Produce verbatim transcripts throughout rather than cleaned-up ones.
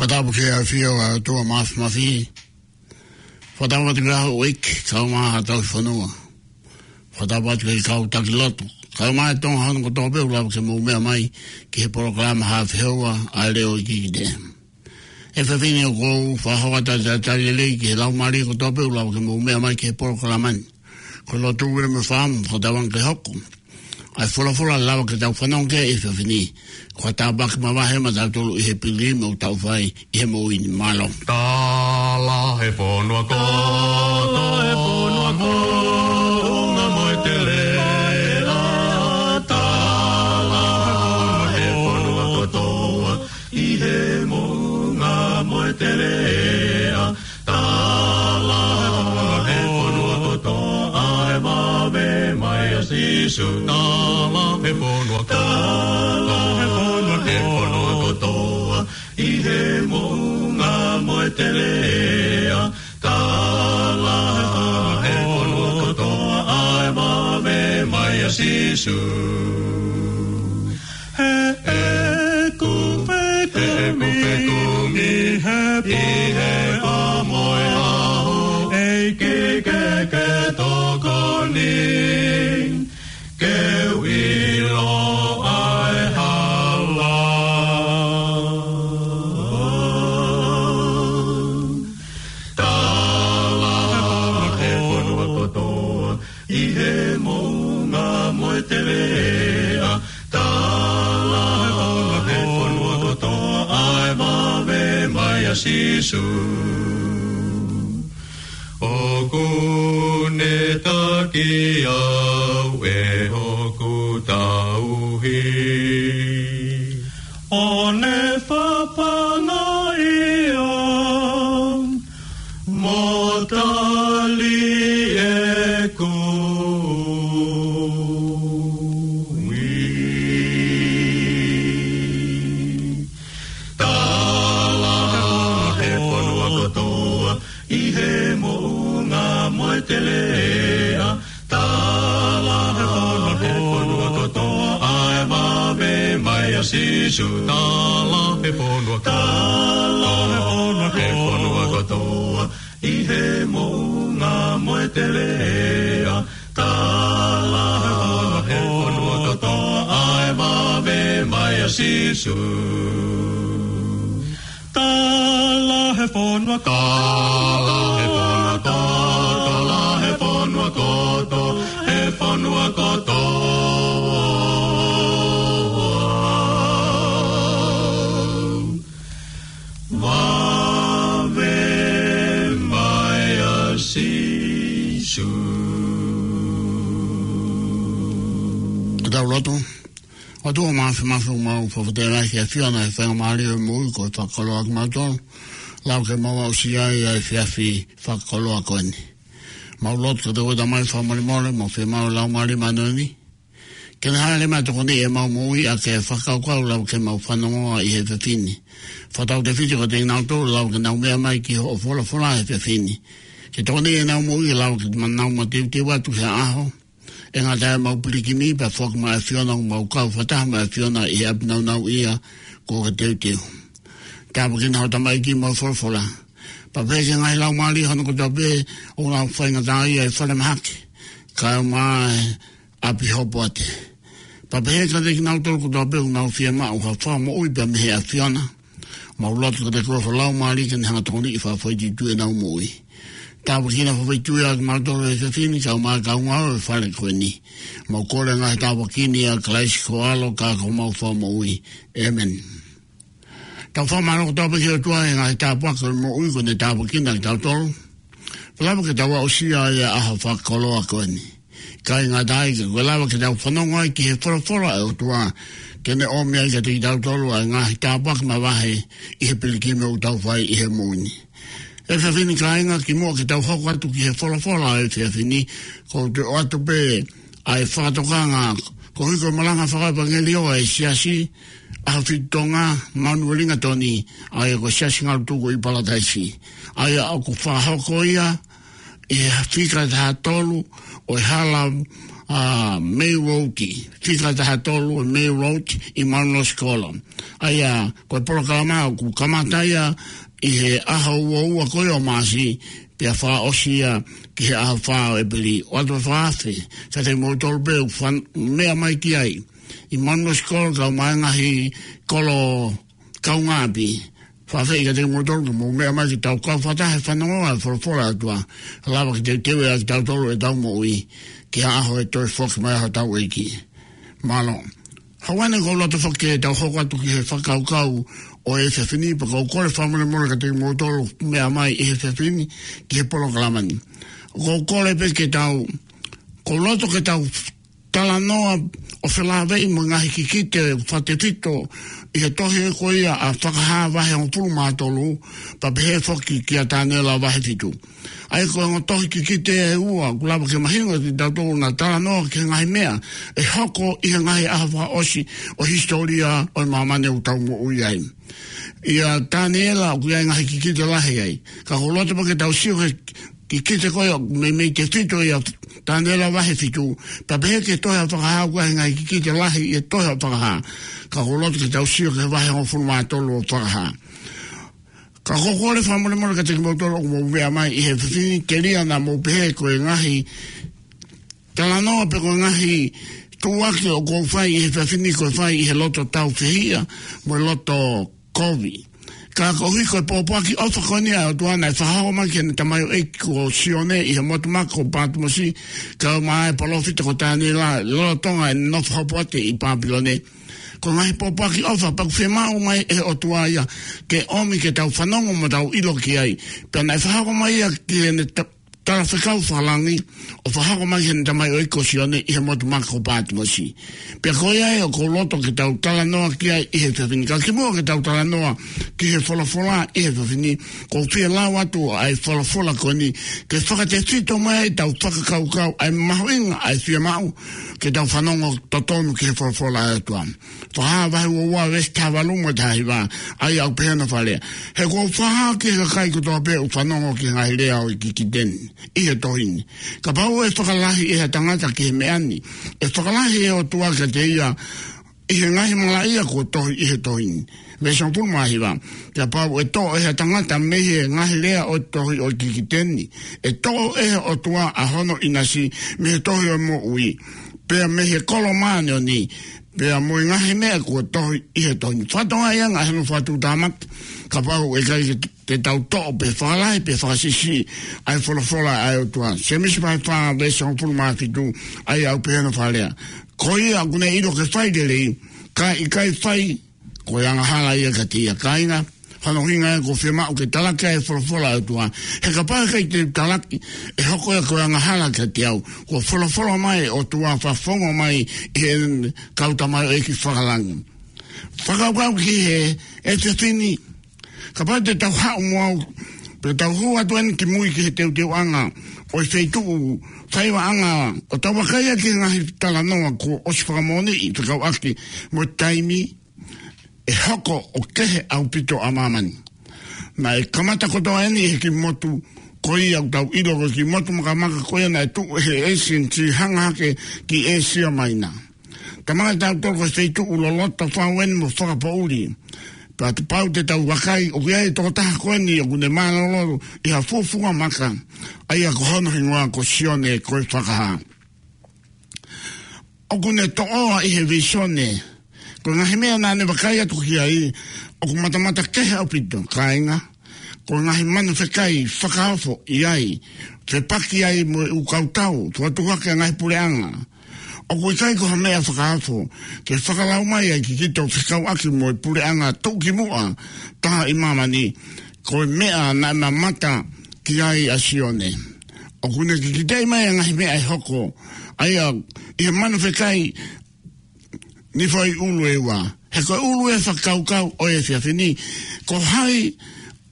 Fakatapu ki he ʻafio ʻa e ʻOtua Māfimafi. Fakatapu atu ki he ʻOtua ʻEiki, kae ʻumaʻā haʻa tauhi fonua. Fakatapu atu ki he kau taki lotu, kae ʻumaʻā e Tonga hono kotoa pē ʻoku lava ke mou meʻa mai ki he polokalama Haʻa Fehoua ʻa e Leʻo Iiki Te. ʻE fefine, ʻoku ou fakahoko atu ʻa e talitali lelei ki he laumālie kotoa pē ʻoku lava ke mou meʻa mai ki he polokalama ni. Ko e lotu ʻoku ou fai mo fakatauange ke hoko ʻa e folofola ʻe lava ke tau fanongo ki ai he efiafi ni, ko ha tāpuaki mavahe maʻatautolu ʻi he piligimi ʻoku tau fai ʻi he moʻui ni. Mālō. Tala he fonua kotoa, tala he fonua kotoa, moʻunga mo e teleʻa. Tala he fonua kotoa, ʻi he moʻunga mo e teleʻa. Tala he fonua kotoa ʻa e vave mai ʻa Sīsū. Tala he fonua kotoa, tala he fonua kotoa, ʻi he moʻunga mo e teleʻa. Tala he fonua kotoa ʻa e vave mai ʻa Sīsū. He ʻeku fekumi, he ʻeku fekumi ʻi he pō mo e ʻaho, ʻEiki ke ke tokoni, ke u ʻilo ʻa e hala. Tala he fonua kotoa, ʻi he moʻunga mo e teleʻa. Tala he fonua kotoa ʻa e vave mai ʻa Sīsū. ʻOku ne taki au ʻe hoku tauhi, ʻo ne fafanga au mo tali ʻeku ui. Tala he fonua kotoa, ʻi he moʻunga mo e teleʻa. Tala he fonua kotoa ʻa e vave mai ʻa Sīsū. Tala he fonua, tala he fonua kotoa, ʻi he moʻunga mo e teleʻa. Tala he fonua kotoa ʻa e vave mai ʻa Sīsū. Tala he fonua, tala he fonua, tala he fonua kotoa, he fonua kotoa. Vave mai ʻa Sīsū. Ke tau lotu. ʻOtua Māfimafi, ʻoku mau fakafetaʻi lahi ki he ʻAfiona he faingamālie ʻo e moʻui kuo fakakoloa kimautolu, lava ke mau aʻusia ai ʻa e efiafi fakakoloa ko eni. Mau lotu kiate koe Tamai fakamolemole, mau fiemaʻu Laumālie Māʻoniʻoni ke ne hāʻele mai ʻo tokoniʻi ʻemau moʻui ʻaki e fakakaukau ʻoku lava ke mau fanongoa ʻi he efiafi ni. Fakatautefito kiate kinautolu ʻoku lava ke nau meʻa mai ki hoʻo folofola he efiafi ni, ke tokoniʻi ʻenau moʻui ʻo lava ke nau mateuteu atu ki ha ʻaho ʻe ngata ai ʻemau pilikimi, pea foki mai ʻa e ʻAfiona ʻo mau kau fakataha mo e ʻAfiona ʻi he ʻapi nāunauʻia kuo ke teuteu. Tāpuekina ho tamaiki mo e folofola. Pea pehē ki he ngaahi laumālie hono kotoa pē ʻoku nau faingataʻaʻia ʻi he falemahaki, kae ʻumaʻā e ʻapi hopoate. Pea pehē kiate kinautolu kotoa pē ʻoku nau fiemaʻu ha fakamoʻui pea mei he ʻAfiona. Mau lotu kiate koe ho Laumālie ke ne hanga ʻo tokoniʻi fakafoʻituitui ʻenau moʻui. Tāpuekina fakafoʻituitui ʻa kimautolu he efiafi ni, kae ʻumaʻā e kau ngāue ʻo e fale ko eni. Mau kole e ngaahi tāpuaki ni ʻia Kalaisi ko ho ʻAlo ka ko homau Fakamoʻui. ʻĒmeni. Tau fakamālō kotoa pē ki he ʻOtua he ngaahi tāpuaki ʻo e moʻui kuo ne tāpuekina kitautolu, pea lava ke tau aʻusia ai ʻa e ʻaho fakakoloa ko eni. Kae ʻikai ngata ai, ka kuo lava ke tau fanongo ai ki he folofola ʻa e ʻOtua, ke ne ʻomi ai kiate kitautolu ʻa e ngaahi tāpuaki mavahe ʻi he pilikimi ʻoku tau fai ʻi he moʻui ni. Efiafi ni kāinga, kimuʻa ke tau hoko atu ki he folofola ʻo e efiafi ni, ʻoku ou toe ʻoatu pē ʻa e fakatokanga koeʻuhi ko e malanga fakaʻevangeliō ʻa e Siasi ʻAhofitu Tonga Manuʻa Lingatoni, ʻa ia ko e Siasi Ngalutuku ʻi Palataisi. ʻA ia ʻoku fakahoko ia ʻi he fika taha tolu ʻo e hala, ʻa, May Road, fika taha tolu ʻo e May Road ʻi Mount Rosie Kolo. ʻA ia, ko e polokalama ʻoku kamata ia ʻi he ʻaho ua ua ko ia ʻo Maʻasi, pea fakaʻosi ia ki he ʻaho fā ʻo ʻEpeli. ʻOatu e fakaafe kiate kimoutolu pē ʻoku fan-, meʻa mai ki ai ʻi Mount Rosie Kolo, kae ʻumaʻā e ngaahi kolo kaungāʻapi. Fakafeʻiloaki kiate kimoutolu ke mou meʻa mai ke tau kau fakataha he fanongo ʻa e folofola ʻa e ʻOtua. Lava ke teuteu ʻaki kitautolu ʻetau moʻui ki he ʻaho ʻe toe foki mai ai hotau ʻEiki. Mālō. Hangē ko ʻeku loto foki ke tau hoko atu ki he fakakaukau ʻo e efiafi ni, pea ʻoku ou kole fakamolemole kiate kimoutolu meʻa mai ʻi he efiafi ni ki he polokalama ni. ʻOku ou kole pē ke tau, ʻoku ou loto ke tau talanoa ʻo felāveʻi mo e ngaahi kikite fakatefito ʻi he tohi ko ia ʻa Fakahā vahe hongofulu mā tolu, pea pehē foki kia Taniela vahe fitu. ʻA ia ko e ongo tohi kikite ʻe ua, ʻoku lava ke mahino kiate kitautolu ʻoku na talanoa ki he ngaahi meʻa ʻe hoko ʻi he ngaahi ʻaho fakaʻosi ʻo e hisitōlia ʻo e māmani ʻoku tau moʻui ai. ʻIa Taniela ʻoku ʻi ai e ngaahi kikite lahi ai. Ka ʻoku ou loto pē ke tau sio ki he kikite ko ia ʻoku meimei tefito ʻia Taniela vahe fitu, pea pehē ki he tohi ʻa Fakahā ʻoku ʻi ai e ngaahi kikite lahi ʻi he tohi ʻa Fakahā. Ka ʻoku ou loto ke tau sio ki he vahe hongofulu mā tolu ʻo Fakahā. Ka ʻoku ou kole fakamolemole kiate kimoutolu ʻoku mou meʻa mai ʻi he efiafi ni, telia naʻa mou pehē ko e ngaahi talanoa pe ko e ngaahi tuʻuaki ʻoku ou fai ʻi he efiafi ni ko e fai ʻi he loto tāufehiʻa mo e loto kovi. Ka koeʻuhi ko e pōpoaki ʻofa ko eni ʻa e ʻOtua naʻe fakahoko mai ki heʻene tamaioʻeiki ko Sione ʻi he motu maka ko Patimosi, kae ʻumaʻā e palōfita ko Taniela, lolotonga ʻene nofo hopo atu ʻi Papilone. Ko e ngaahi pōpoaki ʻofa pea ʻoku fiemaʻu mai ʻe he ʻOtua ia ke ʻomi ke tau fanongo mo tau ʻilo ki ai. Pea naʻe fakahoko mai ia ki heʻene ta-, talafekau fakalangi, ʻo fakahoko mai ki heʻene tamaioʻeiki ko Sione ʻi he motu maka ko Patimosi. Pea ko ia ē ʻoku ou loto ke tau talanoa ki ai ʻi he efiafi ni. Ka kimuʻa ke tau talanoa ki he folofola ʻi he efiafi ni, ʻoku ou fie lau atu ʻa e folofola ko eni ke fakatefito mai ai ʻetau fakakaukau ʻa e mahuʻinga ʻa e fiemaʻu ke tau fanongo totonu ki he folofola ʻa e ʻOtua. Fakahā vahe ua ua veesi taha valu mo e taha hiva, ʻa ia ʻoku pehē hono fakalea: He kuo u fakahā ki he kakai kotoa pē ʻoku fanongo ki he ngaahi lea ʻo e kikite ni ʻi he tohi ni, kapau ʻe fakalahi ʻe ha tangata ki he meʻa ni, ʻe fakalahi ʻe he ʻOtua kiate ia ʻi he ngaahi malaʻia kuo tohi ʻi he tohi ni. Veesi hongofulu mā hiva: Kapau ʻe toʻo ʻe ha tangata mei he ngaahi lea ʻo e tohi ʻo e kikite ni, ʻe toʻo ʻe he ʻOtua ʻa hono ʻinasi mei he tohi ʻo e moʻui, pea mei he kolo māʻoniʻoni, pea mo e ngaahi meʻa kuo tohi ʻi he tohi ni. Fakatokangaʻi ange ʻa hono fakatuʻutāmaki, kapau ʻe ʻikai ke te tau toʻo pe fakalahi pe fakasiʻisiʻi ʻa e folofola ʻa e ʻOtua. Sēmisi vahe fā veesi hongofulu mā fitu, ʻa ia ʻoku pehē hono fakalea: Ko ia ʻoku ne ʻilo ke fai lelei, kae ʻikai fai, ko e angahala ia kiate ia. Kāinga, hono ʻuhinga ia ʻoku fiemaʻu ke talaki ai e folofola ʻa e ʻOtua. He kapau ʻe ʻikai te u talaki, ʻe hoko ia ko e angahala kiate au. Kuo folofola mai e ʻOtua, fakafofonga mai ʻe he kau tamaioʻeiki fakalangi. Fakakaukau ki he efiafi ni, kapau te tau haʻu mo au, pea tau hū atu eni ki mui ki he teuteuʻanga ʻo e feituʻu faivaʻanga, ʻo tau vakai ki he ngaahi talanoa kuo ʻosi fakamoʻoniʻi fekauʻaki mo e taimi ʻe hoko ʻo kehe ʻaupito ʻa māmani. Naʻe kamata kotoa eni he kiʻi motu ko ia ʻoku tau ʻilo ko e kiʻi motu makamaka ko ia naʻe tuʻu ʻe he ʻEisini, hanga hake ki ʻĒsia Maina. Talamai kiate kitautolu ko e feituʻu loloto fau eni mo fakapoʻuli. Pea kapau te tau vakai, ʻoku ʻi ai e tokotaha ko eni ʻoku ne mālōlō ʻi ha fuafuamaka, ʻa ia ko hono hingoa ko Sione ko e Fakahā. ʻOku ne toʻoa ʻi he vīsone. Ko e ngaahi meʻa naʻa ne vakai atu ki ai, ʻoku matamata kehe ʻaupito, kāinga. Ko e ngaahi manu fekai fakaofo ʻi ai, fepaki ai mo e ʻū kautau, tuʻutuʻu hake ʻa e ngaahi puleʻanga. ʻOku ʻikai ko ha meʻa fakaofo ke fakalau mai ʻa e kikite ʻo fekauʻaki mo e puleʻanga tuʻukimuʻa taha ʻi māmani, ko e meʻa naʻe mamata ki ai ʻa Sione. ʻOku ne kikiteʻi mai ʻa e ngaahi meʻa ʻe hoko, ʻa ia ʻi he manu fekai nifoʻi ʻulu ʻe ua. He ko e ʻulu ʻo e fakakaukau ʻo e efiafi ni, ko hai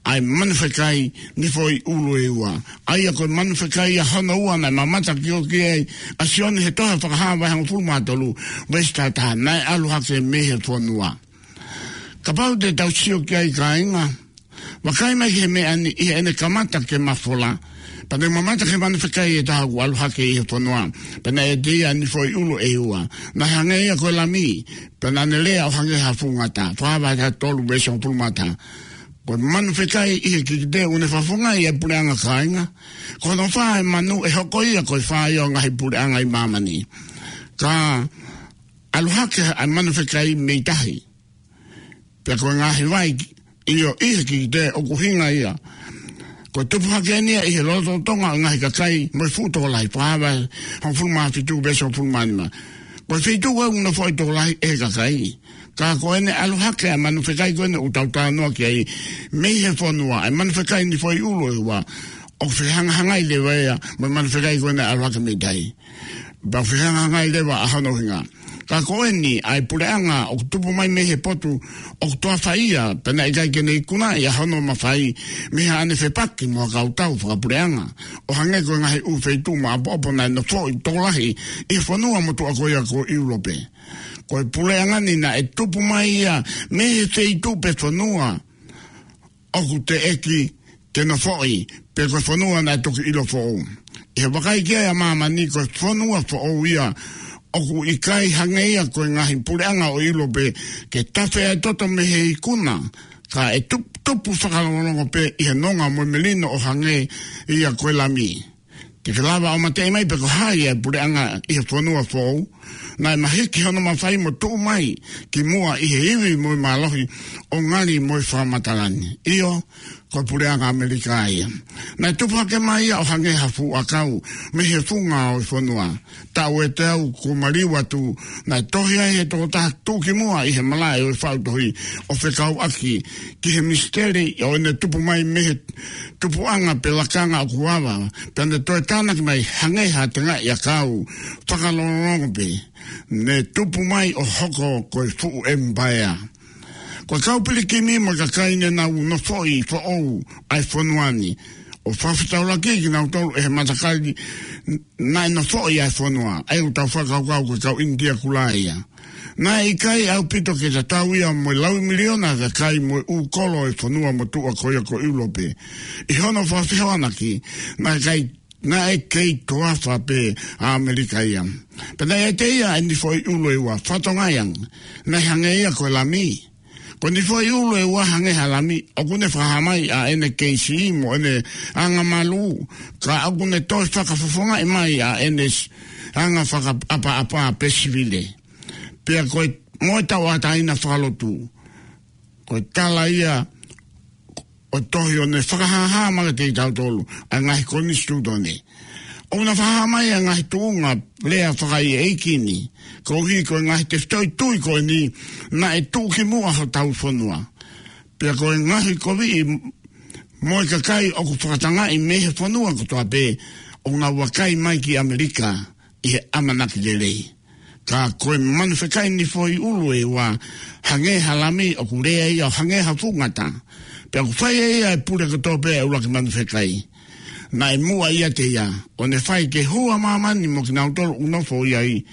ʻa e manu fekai nifoʻi ʻulu ʻe ua. ʻA ia ko e manu fekai ʻa hono ua naʻe mamata ki ai ʻa Sione he tohi Fakahā vahe hongofulu mā tolu, veesi taha taha, naʻe ʻalu hake mei he fonua. Kapau te tau sio ki ai, kāinga, vakai mai ki he meʻa ni ʻi heʻene kamata ke mafola. Pea naʻe mamata ki he manu fekai ʻe taha ʻoku ʻalu hake ʻi he fonua. Pea naʻe ʻiate ia ʻa e nifoʻi ʻulu ʻe ua. Naʻe hangē ia ko e lami. Pea naʻa ne lea ʻo hangē ha fuʻu ngata. Fakahā vahe taha tolu veesi hongofulu mā taha. Ko e manu fekai ʻi he kikite ʻoku ne fakafofongaʻi ʻa e puleʻanga kāinga. Ko hono fā ʻa e manu ʻe hoko ia ko e fā ia ʻo e ngaahi puleʻanga ʻi māmani. Ka ʻalu hake ʻa e manu fekai mei tahi. Pea ko e ngaahi vai ʻi ʻo ʻi he kikite ʻoku ʻuhinga ia. Ko e tupu hake eni ia ʻi he lolotonga ʻo e ngaahi kakai mo e fuʻu tokolahi. Fakahā vahe hongofulu mā fitu veesi hongofulu mā nima. Ko e feituʻu ʻoku nofoʻi tokolahi ʻe he kakai. Ka ko ʻene ʻalu hake ʻa e manu fekai ko ʻene ʻoku tau talanoa ki ai mei he fonua. ʻA e manu fekai nifoʻi ʻulu ʻe ua. ʻOku fehangahangai leva ia mo e manu fekai ko ʻene ʻalu hake mei tahi. Pea fehangahangai leva ʻa hono ʻuhinga. Ka ko eni ʻa e puleʻanga ʻoku tupu mai mei he potu ʻoku toafa ia, pea naʻe ʻikai ke ne ikunaʻi ʻa hono mafai mei haʻane fepaki mo ha kau tau fakapuleʻanga. ʻO hangē ko e ngaahi ʻū feituʻu maʻopoʻopo naʻe nofoʻi tokolahi ʻi he fonua motuʻa ko ia ko ʻIulope. Ko e puleʻanga ni naʻe tupu mai ia mei he feituʻu pe fonua ʻoku teʻeki ke nofoʻi, pe ko e fonua naʻe toki ʻilo foʻou. ʻI he vakai ki ai ʻa māmani ko e fonua foʻou ia ʻoku ʻikai hangē ia ko e ngaahi puleʻanga ʻo ʻIulope ke tafe ʻa e toto mei he ikuna, ka ʻe tup-, tupu fakalongolongo pē ʻi he nonga mo e melino ʻo hangē ia ko e lami. Te ke lava ʻo mateʻi mai pe ko hai ʻa e puleʻanga ʻi he fonua foʻou, naʻe mahiki hono mafai mo tuʻu mai ki muʻa ʻi he ivi mo e mālohi ʻo ngali mo e fakamatala ni. ʻIo, ko e puleʻanga ʻAmelika ia. Naʻe tupu hake mai ia ʻo hangē ha fuʻu ʻakau mei he funga ʻo e fonua. Taʻu ʻe teau kuo maliu atu, naʻe tohi ai he tokotaha tuʻukimuʻa ʻi he malaʻe ʻo e faʻu tohi ʻo fekauʻaki ki he misiteli ʻo ʻene tupu mai mei he tupuʻanga pe lakanga ʻoku ava, pea ne toe tānaki mai hangē ha tengaʻi ʻakau fakalongolongo pē, ne tupu mai ʻo hoko ko e fuʻu ʻemipaea. Ko e kau pilikimi mo e kakai ne nau nofoʻi foʻou ʻa e fonua ni, ʻo fakafetaulaki kinautolu ʻe he matakali naʻe nofoʻi ʻa e fonua, ʻa ia ʻoku tau fakakaukau ko e kau ʻInitia Kulā ia. Naʻe ʻikai ʻaupito ke tatau ia mo e laui miliona kakai mo e ʻū kolo ʻo e fonua motuʻa ko ia ko ʻIulope. ʻI hono fakafehoanaki, naʻe kei, naʻe kei toafa pē ʻa ʻAmelika ia. Pea naʻe ʻiate ia ʻa e nifoʻi ʻulu ʻe ua, fatongia, naʻe hangē ia ko e lami. Ko e nifoʻi ʻulu ʻe ua hangē ha lami, ʻoku ne fakahā mai ʻa ʻene kei siʻi mo ʻene anga malū, ka ʻoku ne toe fakafofongaʻi mai ʻa ʻene s-, anga fakaʻapaʻapa pe sivile. Pea ko e mo e tauʻatāina fakalotu. Ko e tala ia ʻo e tohi ʻo ne fakahāhā mai kiate kitautolu ʻa e ngaahi konisitūtone. ʻOku na fakahā mai ʻa e ngaahi tuʻunga lea fakaʻeiʻeiki ni, koeʻuhi ko e ngaahi tefitoʻi tui ko eni naʻe tuʻukimuʻa hotau fonua. Pea ko e ngaahi koviʻi mo e kakai ʻoku fakatangaʻi mei he fonua kotoa pē, ʻoku nau vakai mai ki ʻAmelika ʻi he ʻamanaki lelei. Ka ko e manu fekai nifoʻi ʻulu ʻe ua, hangē ha lami ʻoku lea ia ʻo hangē ha fuʻu ngata. Pea ʻoku fai ʻe ia ʻa e pule kotoa pē ʻa e ʻuluaki manu fekai. Naʻe muʻa ʻiate ia, ʻo ne fai ke hū ʻa māmani mo kinautolu ʻoku nofo ʻi ai,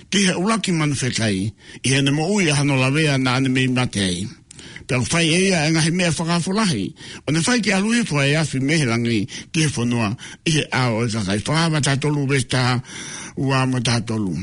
ki he ʻuluaki manu fekai, ʻi heʻene moʻui ʻa hono lavea naʻa ne mei mate ai. Pea ʻoku fai ʻe ia ʻa e ngaahi meʻa fakaofo lahi, ʻo ne fai ke ʻalu hifo ʻa e afi mei he langi ki he fonua, ʻi he ʻao ʻo e kakai. Fakahā vahe taha tolu veesi taha ua mo e taha tolu.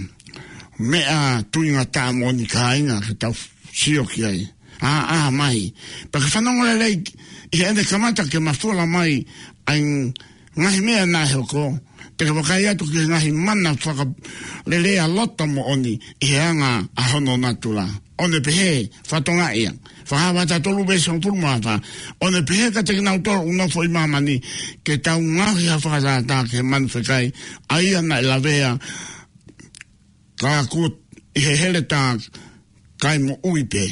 Meʻa tuingataʻa moʻoni kāinga ke tau sio ki ai. ʻĀ, ʻā mai. Pea ke fanongo lelei ʻi heʻene kamata ke mafola mai ʻa e ngaahi meʻa naʻe hoko, te ke vakai atu ki he ngaahi mana fakalelea loto moʻoni ʻi he anga ʻa hono natula. ʻO ne pehē, fatongia. Fakahā vahe taha tolu veesi hongofulu mā fā. ʻO ne pehē kiate kinautolu ʻoku nofo ʻi māmani, ke tau ngaohi ha fakatātā ki he manu fekai, ʻa ia naʻe lavea, ka kuo ʻi he heletā kae moʻui pē.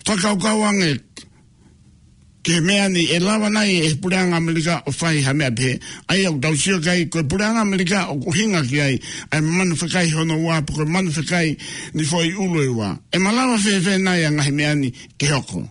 Fakakaukau ange ki he meʻa ni, ʻe lava nai ʻe he puleʻanga ʻAmelika ʻo fai ha meʻa pehē? ʻA ia ʻoku tau sio ki ai, ko e puleʻanga ʻAmelika ʻoku ʻuhinga ki ai ʻa e manu fekai hono ua, pe ko e manu fekai nifoʻi ʻulu ʻe ua. ʻE malava fēfē nai ʻa e ngaahi meʻa ni ke hoko?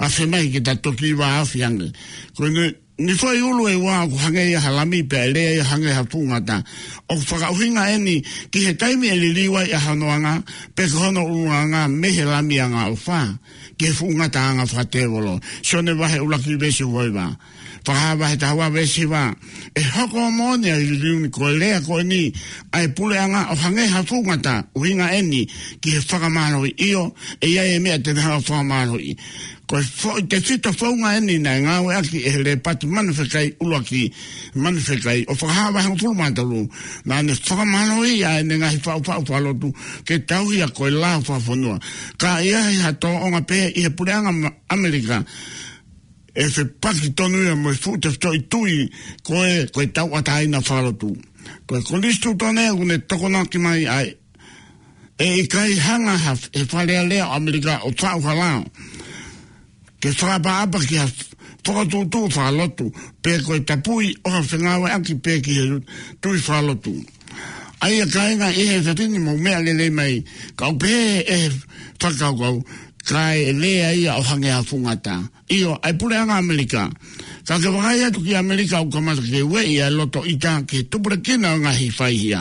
ʻAfe mai ke ta toki vāofi ange. Ko e nifoʻi ʻulu ʻe ua ʻoku hangē ia ha lami pea ʻe lea ia hangē ha fuʻu ngata. ʻOku fakaʻuhinga eni ki he taimi ʻe liliu ai ʻa hono anga, pe ko hono ʻulungaanga mei he lami angaʻofa, ki he fuʻu ngataʻanga fakatēvolo. Sione vahe ʻuluaki veesi uofulu mā hiva. Fakahā vahe taha ua veesi hiva. ʻE hoko ʻo moʻoni ʻa e liliu ni ko e lea ko eni ʻa e puleʻanga ʻo hangē ha fuʻu ngata, ʻuhinga eni ki he fakamālohi, ʻio, ʻe ʻi ai e meʻa te ne hanga ʻo fakamālohiʻi. Ko e foʻi tefito founga eni naʻe ngāueʻaki ʻe he Lēpati Manu Fekai ʻUluaki, Manu Fekai, ʻo Fakahā vahe hongofulu mā tolu, naʻa ne fakamālohiʻi ʻa ʻene ngaahi faʻufaʻu fakalotu ke tauhi ʻa e lao fakafonua. Ka ʻi ai ha tōʻonga pehē ʻi he puleʻanga ma-, ʻAmelika, ʻe fepaki tonu ia mo e fuʻu tefitoʻi tui ko e, ko e tauʻatāina fakalotu. Ko e Konisitūtone ʻoku ne tokonaki mai ai, ʻe ʻikai hanga ha, ʻe he Fale Alea ʻo ʻAmelika ʻo faʻu ha lao ke fakaʻapaʻapa ki ha fokotuʻutuʻu fakalotu, pe ko e tapui ʻo ha fengāueʻaki pē ki he tui fakalotu. ʻA ia kāinga, ʻi he efiafi ni mou meʻa lelei mai, ka ʻoku pehē ʻe he fakakaukau, ka ʻe lea ia ʻo hangē ha fuʻu ngata. ʻIo, ʻa e puleʻanga ʻAmelika. Ka ke vakai atu ki ʻAmelika ʻoku kamata ke ueʻi ʻa e loto ʻita ki he tupulekina ʻo e ngaahi faihia.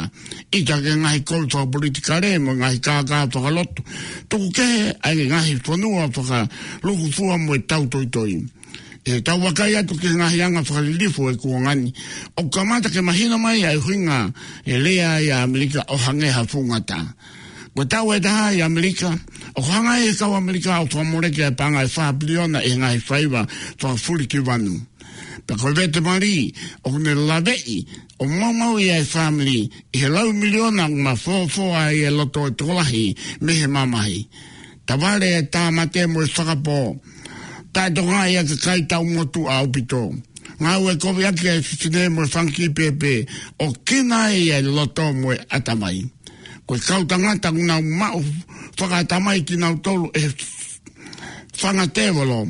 ʻIta ki he ngaahi kovi fakapolitikale mo e ngaahi kākā fakalotu. Tuku kehe ʻa e ngaahi fonua fakalūkufua mo e tautoitoi. ʻE tau vakai atu ki he ngaahi anga fakalilifu ʻo e kuonga ni, ʻoku kamata ke mahino mai ʻa e ʻuhinga ʻe lea ai ʻa ʻAmelika ʻo hangē ha fuʻu ngata. Ko e taʻu ʻe taha ʻi ʻAmelika, ʻoku hanga ʻe he kau ʻAmelika ʻo fakamoleki ʻa e paʻanga ʻe fā piliona ʻi he ngaahi faiva fakafulikivanu. Pea ko e vete mali, ʻoku ne laveʻi ʻo maumauʻi ʻa e fāmili ʻi he laui miliona ʻoku mafōfō ai e loto ʻo e tokolahi mei he mamahi. Tavale e tāmate mo e fakapō. Taʻetokangaʻi ʻa e kakai taʻu motuʻa ʻaupito. Ngāue koviʻaki ʻa e fefine mo e fanga kiʻi pēpē, ʻo kina ai ʻa e loto mo e ʻatamai. Ko e kau tangata ʻoku nau maʻu fakaʻatamai kinautolu ʻe he fanga tēvolo,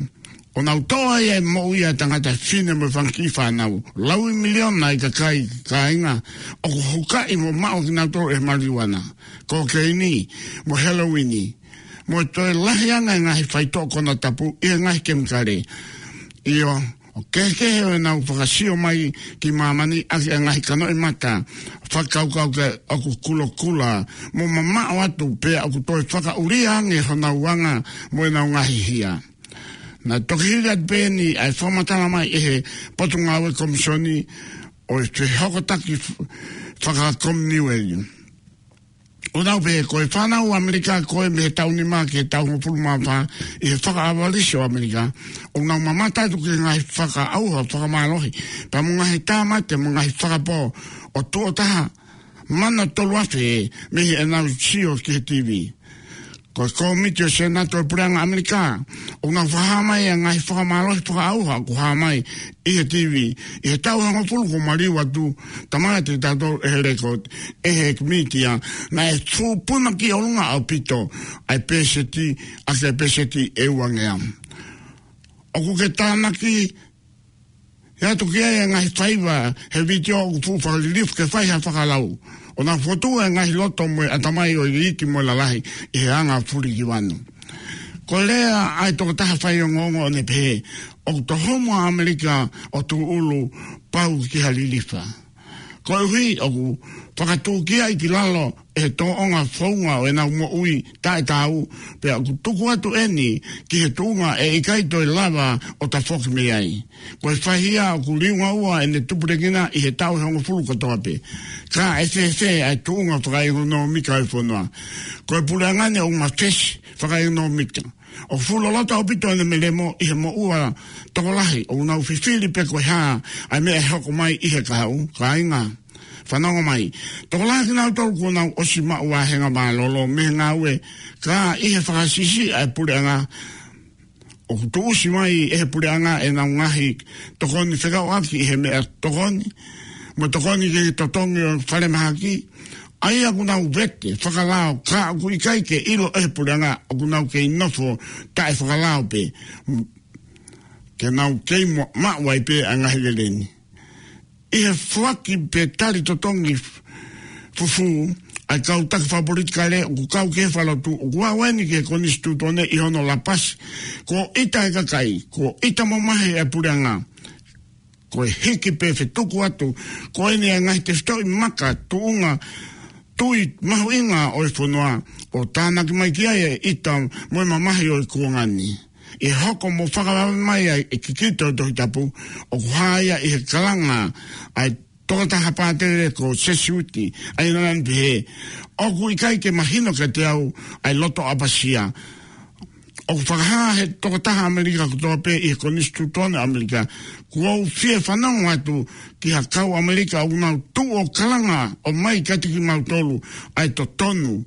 ʻo nau toʻo ai e moʻui ʻa e tangata, fefine mo e fanga kiʻi fānau. Laui miliona ʻa e kakai, kāinga, ʻoku hukaʻi mo maʻu kinautolu ʻe he maliuana, kokeini, mo e heloini, mo e toe lahi ange e ngaahi faitoʻo konatapu ʻi he ngaahi kemikale. ʻIo, ʻoku kehekehe ʻenau fakasio mai ki māmani ʻaki e ngaahi kanoʻimata fakakaukau ke ʻoku kulokula mo mamaʻo atu pea ʻoku toe fakaʻulia ange honau anga mo ʻenau ngaahi hia. Naʻe toki hili atu pē eni ʻa e fakamatala mai ʻe he Potungāue Komisioni ʻo e Fehokotaki F-, Fakakominiueli. ʻOku nau pehē ko e fānau ʻAmelika ko ē mei he taʻu nima ki he taʻu hongofulu mā fā ʻi he fakaʻavalisi ʻo ʻAmelika, ʻoku nau mamata atu ki he ngaahi fakaʻauha fakamālohi, pea mo e ngaahi tāmate mo e ngaahi fakapō ʻo tuʻo taha mano tolu afe mei heʻenau sio ki he TV. Ko e kōmiti ʻo e Senate ʻo e puleʻanga ʻAmelika, ʻoku nau fakahā mai ʻa e ngaahi fakamālohi fakaʻauha ʻoku hā mai ʻi he TV ʻi he taʻu hongofulu kuo maliu atu, tamate tautolu ʻe he record, ʻe he mītia, naʻe tūpuna ki ʻolunga ʻaupito ʻa e pēseti, ʻa e pēseti ʻe uangeau. ʻOku ke tānaki ʻe ʻatu ki ai e ngaahi faiva he vitiō ʻoku fuʻu fakalilifu ke fai ha fakalau. ʻO nau fotu e ngaahi loto mo e ʻatamai ʻo e iiki mo e lalahi ʻi he anga fulikivanu. Ko e lea ʻa e tokotaha faiongoongo ʻo ne pehē, ʻoku tohomo ʻa ʻAmelika ʻo tūʻulu pau ki ha lilifa. Koeʻuhi ʻoku fakatūkiaʻi ki lalo ʻe he tōʻonga founga ʻo ʻenau moʻui taʻetaau, pea ʻoku tuku atu eni ki he tuʻunga ʻe ʻikai toe lava ʻo tafoki mei ai. Ko e faihia ʻoku liunga ua ʻene tupulekina ʻi he taʻu ʻe hongofulu kotoa pē. Ka ʻe fēfē ʻa e tuʻunga fakaʻekonōmika ʻo e fonua? Ko e puleʻanga ni ʻoku mafesi fakaʻekonōmika. ʻOku fuʻu loloto ʻaupito ʻene melemo ʻi he moʻua tokolahi ʻoku nau fifili pe ko e hā ʻa e meʻa ʻe hoko mai ʻi he kahaʻu, kāinga. Fanongo mai. Tokolahi kinautolu kuo nau ʻosi maʻu vāhenga mālōlō mei he ngāue, ka ʻi he fakasiʻisiʻi ʻa e puleʻanga, ʻoku tuʻusi mai ʻe he puleʻanga ʻenau ngaahi tokoni fekauʻaki ʻi he meʻatokoni, mo e tokoni ki he totongi ʻo e falemahaki, ʻa ia ʻoku nau vete fakalao, ka ʻoku ʻikai ke ʻilo ʻe he puleʻanga ʻoku nau kei nofo taʻefakalao pē, ke nau kei mo-, maʻu ai pē ʻa e ngaahi lelei ni. ʻI he foaki pe tali totongi f-, fufū ʻa e kau taki fakapolitikale ʻoku kau ki he fakalotu, ʻoku aʻu eni ki he Konisitūtone ʻi hono lapasi, kuo ʻita e kakai, kuo ʻita mamahi e puleʻanga. Ko e hiki pe fetuku atu ko eni ʻa e ngaahi tefitoʻi maka tuʻunga tui mahuʻinga ʻo e fonua, ʻo tānaki mai ki ai e ʻita mo e mamahi ʻo e kuonga ni. ʻI he hoko mo fakavave mai ʻa e kikite ʻo e Tohi Tapu, ʻoku hā ia ʻi he kalanga ʻa e tokotaha pātele ko Sesiuti, ʻa ia naʻa ne pehē, ʻoku ʻikai ke mahino kiate au ʻa e loto ʻapasia. ʻOku fakahā ʻe he tokotaha ʻAmelika kotoa pē ʻi he Konisitūtone ʻo ʻAmelika, kuo u fie fanongo atu ki ha kau ʻAmelika ʻoku nau tuʻu ʻo kalanga ʻo ʻomai kiate kimautolu ʻa e totonu,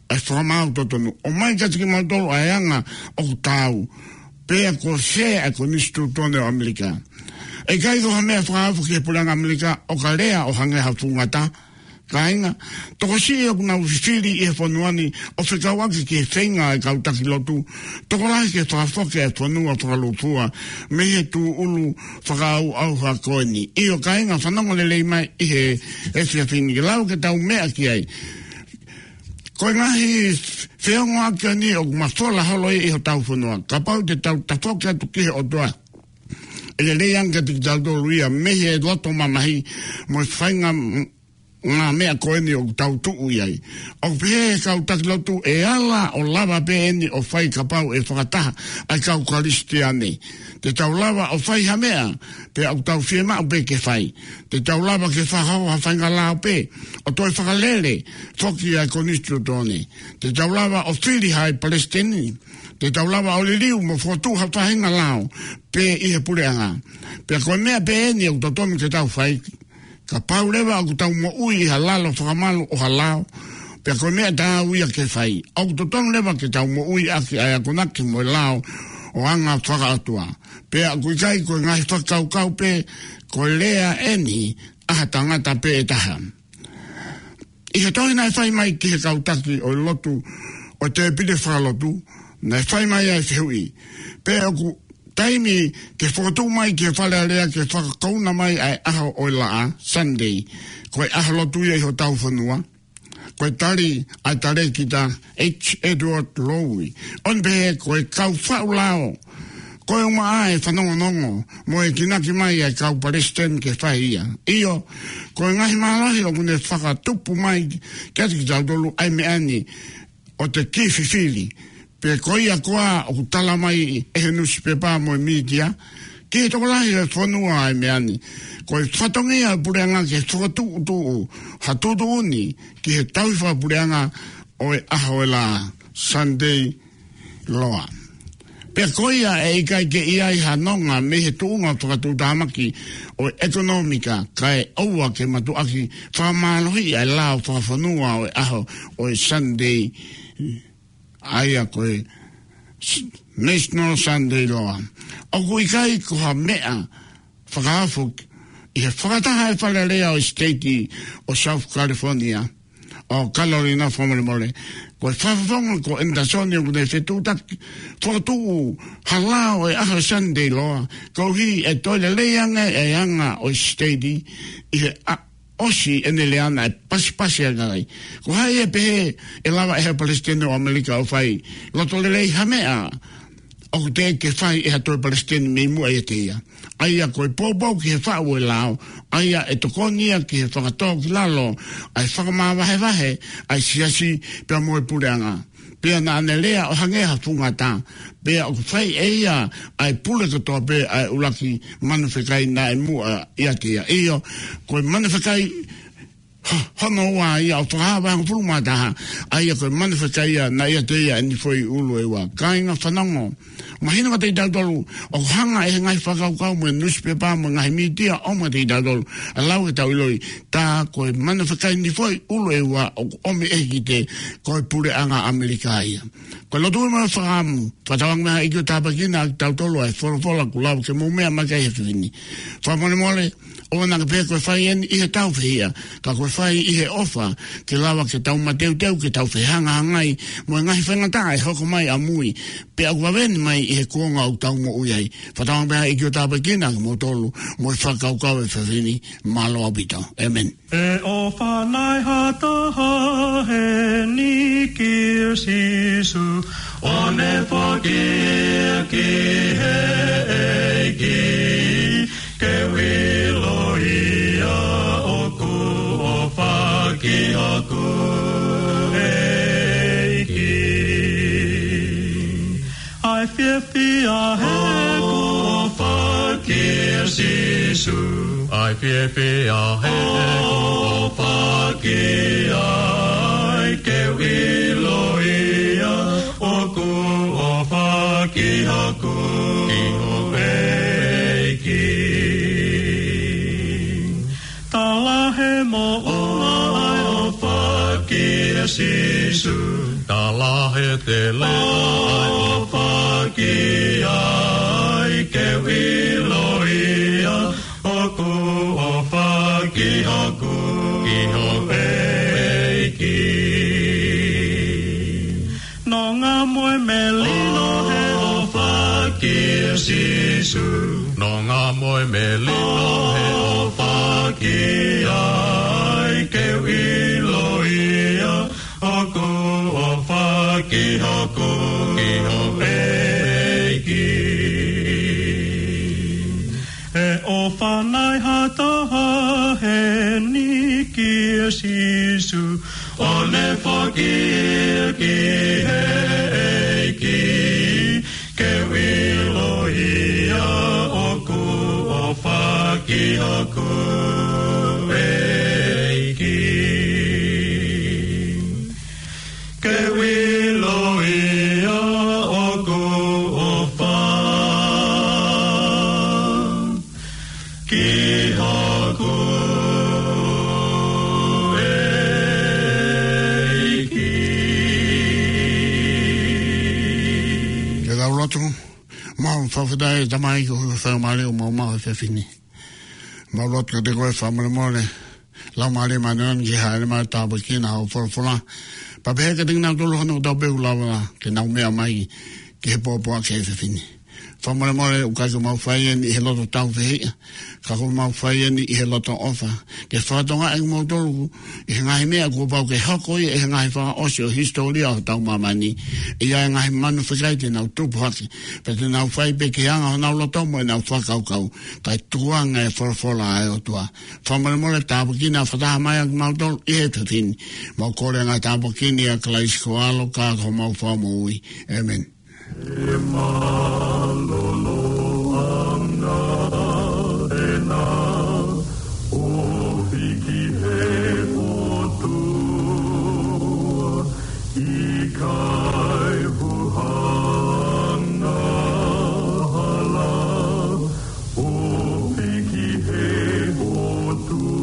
ʻa e fakamaau totonu. ʻOmai kiate kimautolu ʻa e anga ʻoku taau. Pea kuo sē ʻa e Konisitūtone ʻo ʻAmelika. ʻE ʻikai ko ha meʻa fakaofo ki he puleʻanga ʻAmelika ʻo ka lea ʻo hangē ha fuʻu ngata. Kāinga, tokosiʻi ʻoku nau fifili ʻi he fonua ni ʻo fekauʻaki ki he feinga ʻa e kau taki lotu, tokolahi ke fakafoki ʻa e fonua fakalūkufua mei he tūʻulu fakaʻauʻauha ko eni. ʻIo kāinga, fanongo lelei mai ʻi he efiafi ni ke lava ke tau meʻa ki ai. Ko e ngaahi feongoʻaki ʻeni ʻoku mafola holo ia ʻi hotau fonua. Kapau te tau tafoki atu ki he ʻOtua, ʻe lelei ange kiate kitautolu ia mei he loto mamahi mo e faʻahinga m-, ngaahi meʻa ko eni ʻoku tau tuʻu ʻi ai. ʻOku pehē ʻe he kau taki lotu ʻe ala ʻo lava pē eni ʻo fai kapau ʻe fakataha ʻa e kau Kalisitiane. Te tau lava ʻo fai ha meʻa, pea ʻoku tau fiemaʻu pē ke fai. Te tau lava ke fakahoko ha faʻahinga lao pē, ʻo toe fakalele foki ʻa e Konisitūtone. Te tau lava ʻo fili ha palesiteni. Te tau lava ʻo liliu mo fokotuʻu ha faʻahinga lao pē ʻi he puleʻanga. Pea ko e meʻa pē eni ʻoku totonu ke tau fai. Kapau leva ʻoku tau moʻui ʻi ha lalo fakamalu ʻo ha lao, pea ko e meʻa taau ia ke fai. ʻOku totonu leva ke tau moʻui ʻaki ʻa e akonaki mo e lao ʻo e anga fakaʻotua. Pea ʻoku ʻikai ko e ngaahi fakakaukau pē, ko e lea eni ʻa ha tangata pē ʻe taha. ʻI he tohi naʻe fai mai ki he kau taki ʻo e lotu ʻo e tēpile fakalotu, naʻe fai mai ʻa e fehuʻi, pe ʻoku taimi ke fokotuʻu mai ki he Fale Alea ke fakakouna mai ʻa e ʻaho ʻo e laʻā, Sunday, ko e ʻaho lotu ia ʻi hotau fonua? Ko e tali ʻa e talēkita H. Edward Lowe, ʻo ne pehē ko e kau faʻu lao, ko e ʻumaʻā e fanongonongo mo e kinaki mai ʻa e kau palesiteni ke fai ia. ʻIo, ko e ngaahi mālohi ʻoku ne fakatupu mai kiate kitautolu ʻa e meʻa ni ʻo te kī fifili. Pe ko ia koā ʻoku tala mai ʻe he nusipepa mo e mītia ki he tokolahi ʻo e fonua ʻa e meʻa ni. Ko e fatongia ʻo e puleʻanga ke fakatuʻutuʻu ha tuʻutuʻuni ki he tauhi fakapuleʻanga ʻo e ʻaho ʻo e laʻā, Sunday law. Pea ko ia ʻe ʻikai ke ʻi ai ha nonga mei he tuʻunga fakatuʻutāmaki ʻo e ʻekonōmika, kae ʻoua ke matuʻaki fakamālohiʻi ʻa e lao fakafonua ʻo e ʻaho ʻo e Sunday, ʻa ia ko e s-, National Sunday Law. ʻOku ʻikai ko ha meʻa fakaofo ʻi he fakataha ʻa e Fale Alea ʻo e siteiti ʻo South California, ʻo Kalolina fakamolemole, ko e fakafofonga ko ʻEnitasoni ʻoku ne fetuʻutaki fokotuʻu ha lao ʻo e ʻaho Sunday law, koeʻuhi ʻe toe lelei ange ʻa e anga ʻo e siteiti ʻi he ʻa-, ʻosi ʻene lea naʻe pasipasi ange ai. Ko hai ʻe pehē ʻe lava ʻe he Palesiteni ʻo ʻAmelika ʻo fai loto lelei ha meʻa ʻoku teʻeki ke fai ʻe ha toe palesiteni mei muʻa ʻiate ia? ʻA ia ko e poupou ki he faʻu ʻo e lao, ʻa ia ʻe tokoni ia ki he fakatōkilalo ʻa e fakamāvahevahe ʻa e siasi pea mo e puleʻanga. Pea naʻa ne lea ʻo hangē ha fuʻu ngata, pea ʻoku fai ʻe ia ʻa e pule kotoa pē ʻa e ʻuluaki manu fekai naʻe muʻa ʻiate ia. ʻIo, ko e manu fekai ho-, hono ua ia ʻo e Fakahā vahe hongofulu mā taha, ʻa ia ko e manu fekai ia naʻe ʻiate ia ʻeni foʻi ʻulu ʻe ua. Kāinga, fanongo, mahino kiate kitautolu, ʻoku hanga ʻe he ngaahi fakakaukau mo e nusipepa mo e ngaahi mītia ʻo ʻomai kiate kitautolu ʻa e lau ke tau ʻiloʻi, tā ko e manu fekai ni foʻi ʻulu ʻe ua ʻoku ʻomi ʻe he kikite ko e puleʻanga ʻAmelika ia. Ko e lotu mo e fakaʻamu, fakatauange mai ha ʻEiki ʻo tāpuekina kitautolu ʻa e folofola kuo lava ke mou meʻa mai ki ai he efiafi ni. Fakamolemole, ʻoua naʻa ke pehē ko e fai eni ʻi he tau fehiʻa, ka ko e fai ʻi he ʻofa, ke lava ke tau mateuteu, ke tau fehangahangai mo e ngaahi faingataʻa ʻe hoko mai ʻamui, pea ʻoku vave eni mai ʻi he kuonga ʻoku tau moʻui ai. Fakatauange mai ha ʻEiki ʻo tāpuekina kimoutolu mo e fakakaukau ʻo e efiafi ni. Mālō ʻaupito. ʻĒmeni. ʻE ʻofa nai ha taha heni kia Sīsū, ʻo ne foaki ia ki he ʻEiki, ke u ʻiloʻi ʻoku ʻofa ki hoku ʻEiki. ʻAi Fiefia he kuo ʻofa kia Sīsū. ʻAi fiefia he kuo ʻofa ki ai, ke u ʻilo ia ʻoku ʻofa ki hoku, ki hoku ʻEiki. Tala he moʻunga ʻa e ʻofa kia Sīsū. Tala he tele ʻa e ʻofa ki ai, ke u ʻilo ia ʻoku ʻofa ki hoku, ki hoku ʻEiki. Nonga mo e melino he ʻofa kia Sīsū. Nonga mo e melino he ʻofa ki ai, ke u ʻilo ia ʻoku ʻofa ki hoku, ki hoku ʻEiki. He ʻofa nai ha taha heni kia Sīsū, ʻo ne foaki ia ki he ʻEiki, ke u ʻilo ia ʻoku ʻofa ki hoku ʻEiki. Ke u ʻilo ia ʻoku ʻofa ki hoku ʻEiki. Ke tau lotu. Mau fakafetaʻi Tamai ko e faingamālie ʻoku mau maʻu he efiafi ni. Mau lotu kiate koe fakamolemole. Laumālie Māʻoniʻoni ke hāʻele mai ʻo tāpuekina hoʻo folofola. Pea pehē kiate kinautolu hono kotoa pē ʻoku lava ke nau meʻa mai ki he pōpoaki he efiafi ni. Fakamolemole ʻoku ʻikai ke mau fai eni ʻi he loto tāufehiʻa, ka ʻoku mau fai eni ʻi he loto ʻofa. Ke fakatokangaʻi ʻe kimoutolu ʻi he ngaahi meʻa kuo pau ke hoko ia ʻi he ngaahi fakaʻosi ʻo e hisitōlia ʻo hotau māmani. ʻI ai e ngaahi manu fekai te nau tupu hake, pea te nau fai pē ki he anga honau loto mo ʻenau fakakaukau, kae tukuange e folofola ʻa e ʻOtua. Fakamolemole tāpuekina fakataha mai ʻa kimautolu ʻi he efiafi ni. Mau kole e ngaahi tāpuaki ni ʻia Kalaisi ko ho ʻAlo ka ko homau Fakamoʻui. ʻĒmeni. He mālōlōʻanga ʻena ʻofa ki he ʻOtua, ʻikai huhanga hala, ʻofa ki he ʻOtua.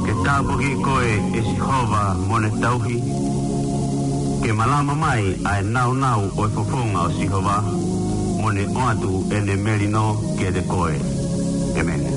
Ke tāpuakiʻi koe ʻe Sihova mo ne tauhi, ke malama mai ʻa e nāunau ʻo e fofonga ʻo Sihova, mo ne ʻoatu ʻene melino kiate koe. ʻĒmeni.